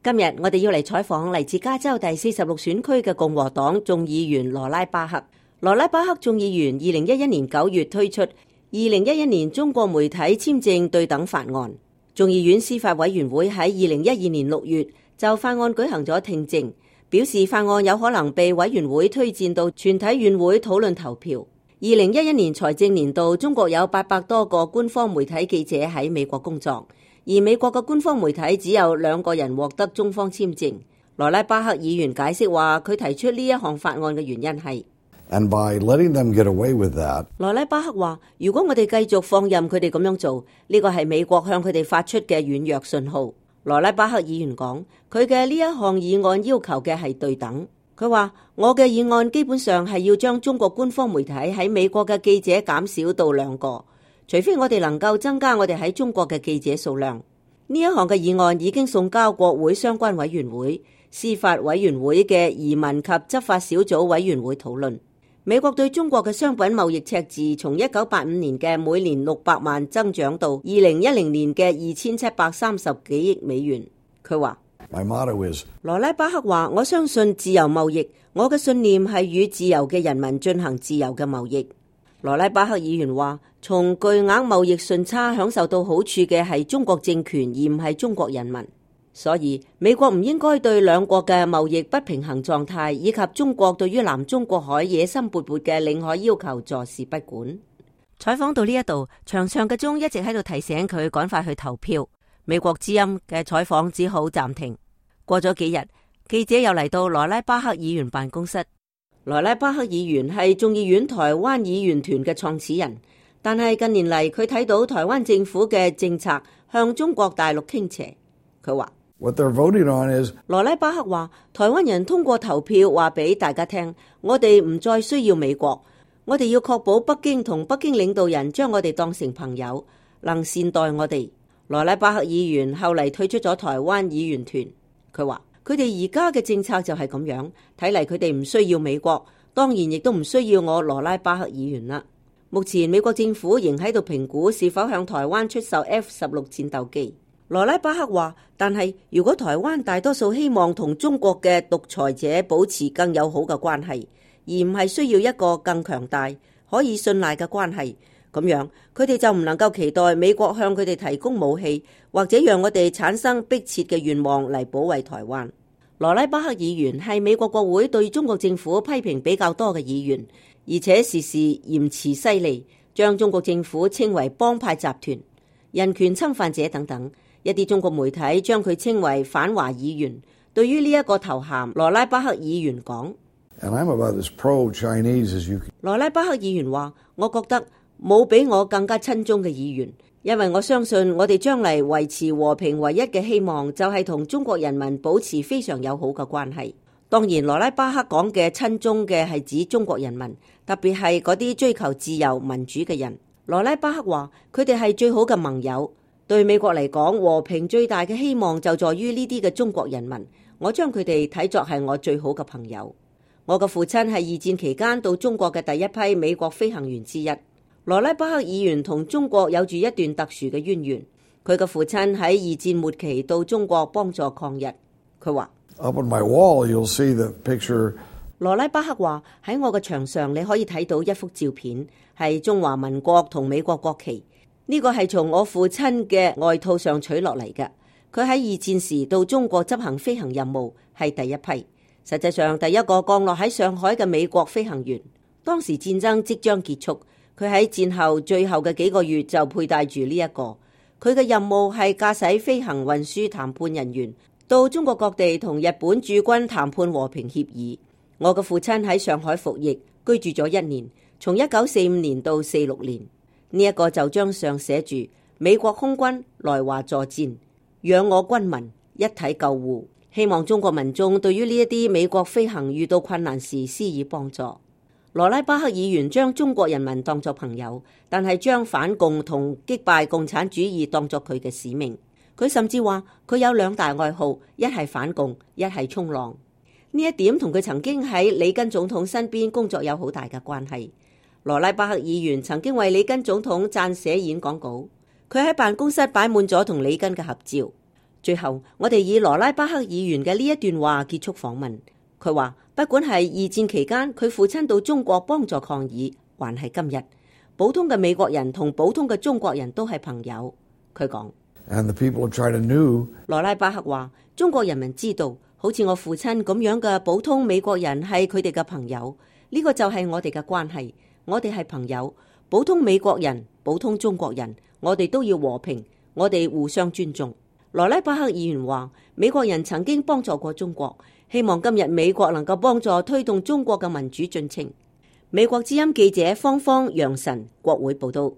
今日我哋要嚟採訪嚟自加州第46選區嘅共和黨眾議員羅拉巴克。羅拉巴克眾議員2011年9月推出2011年中國媒體簽證對等法案。眾議院司法委員會喺2012年6月就法案舉行咗聽證，表示法案有可能被委員會推薦到全體院會討論投票。2011年財政年度，中國有800多個官方媒體記者喺美國工作，而美國嘅官方媒體只有2個人獲得中方簽證。羅拉巴克議員解釋話，佢提出呢一項法案嘅原因係And by letting them get away with that， 羅拉巴克話，如果我哋繼續放任佢哋咁樣做，呢個係美國向佢哋發出嘅軟弱信號。羅拉巴克議員講，佢嘅呢一項議案要求嘅係對等。佢話，我嘅議案基本上係要將中國官方媒體喺美國嘅記者減少到2個，除非我哋能夠增加我哋喺中國嘅記者數量。呢一項嘅議案已經送交國會相關委員會、司法委員會嘅移民及執法小組委員會討論。美國對中國嘅商品貿易赤字從1985年嘅每年600萬增長到2010年嘅2730幾億美元。佢話My motto is， 羅拉巴克話，我相信自由貿易，我嘅信念係與自由嘅人民進行自由嘅貿易。羅拉巴克議員話，從巨額貿易順差享受到好處嘅係中國政權，而唔係中國人民。所以美國唔應該對2國嘅貿易不平衡狀態以及中國對於南中國海野心勃勃嘅領海要求坐視不管。採訪到呢一度，長長嘅鐘一直喺度提醒佢趕快去投票。美國之音嘅採訪只好暫停。過咗幾日，記者又嚟到羅拉巴克議員辦公室。羅拉巴克議員係眾議院台灣議員團嘅創始人，但係近年嚟佢睇到台灣政府嘅政策向中國大陸傾斜。佢話What they're voting on is， 羅拉巴克話，台灣人通過投票話俾大家聽，我哋唔再需要美國，我哋要確保北京同北京領導人將我哋當成朋友，能善待我哋。羅拉巴克議員後嚟退出咗台灣議員團。佢話佢哋而家嘅政策就係咁樣，睇嚟佢哋唔需要美國，當然亦都唔需要我羅拉巴克議員啦。目前美國政府仍喺度評估是否向台灣出售 F-16戰鬥機。羅拉巴克話，但係如果台灣大多數希望同中國嘅獨裁者保持更友好嘅關係，而唔係需要一個更強大可以信賴嘅關係，咁樣佢哋就唔能夠期待美國向佢哋提供武器，或者讓我哋產生迫切嘅願望嚟保衛台灣。羅拉巴克議員係美國國會對中國政府批評比較多嘅議員，而且時時言辭犀利，將中國政府稱為幫派集團、人權侵犯者等等。一啲中國媒體將佢稱為反華議員。對於呢一個頭銜，羅拉巴克議員講，羅拉巴克議員話，我覺得冇比我更加親中嘅議員，因為我相信我哋將嚟維持和平唯一嘅希望就係同中國人民保持非常友好嘅關係。當然，羅拉巴克講嘅親中嘅係指中國人民，特別係嗰啲追求自由民主嘅人。羅拉巴克話，佢哋係最好嘅盟友。對美國嚟講，和平最大嘅希望就在於呢啲嘅中國人民。我將佢哋睇作係我最好嘅朋友。我嘅父親係二戰期間到中國嘅第一批美國飛行員之一。羅拉巴克議員同中國有住一段特殊嘅淵源。佢嘅父親喺二戰末期到中國幫助抗日。佢話Up on my wall, you'll see the picture。羅拉巴克話，喺我嘅牆上你可以睇到一幅照片，係中華民國同美國國旗。呢個係從我父親嘅外套上取落嚟嘅。佢喺二戰時到中國執行飛行任務，係第一批。實際上第一個降落喺上海嘅美國飛行員。當時戰爭即將結束，佢喺戰後最後嘅幾個月就佩戴住呢一個。佢嘅任務係駕駛飛行運輸談判人員到中國各地同日本駐軍談判和平協議。我嘅父親喺上海服役，居住咗1年，從1945年到46年。呢一個就章上寫住美國空軍來華助戰，養我軍民一體救護，希望中國民眾對於呢一啲美國飛行遇到困難時施以幫助。羅拉巴克議員將中國人民當作朋友，但係將反共同擊敗共產主義當作佢嘅使命。佢甚至話佢有2大愛好，一係反共，一係衝浪。呢一點同佢曾經喺里根總統身邊工作有好大嘅關係。羅拉巴克議員曾經為里根總統撰寫演講稿，佢喺辦公室擺滿咗同里根嘅合照。最後，我哋以羅拉巴克議員嘅呢一段話結束訪問。佢話，不管係二戰期間佢父親到中國幫助抗議，還係今日，普通嘅美國人同普通嘅中國人都係朋友。佢講， And the people of China knew 羅拉巴克話，中國人民知道，好似我父親咁樣嘅普通美國人係佢哋嘅朋友，呢個就係我哋嘅關係，我哋係朋友，普通美國人、普通中國人，我哋都要和平，我哋互相尊重。羅拉巴克議員話，美國人曾經幫助過中國，希望今日美國能夠幫助推動中國嘅民主進程。美國之音記者方方楊晨，國會報道。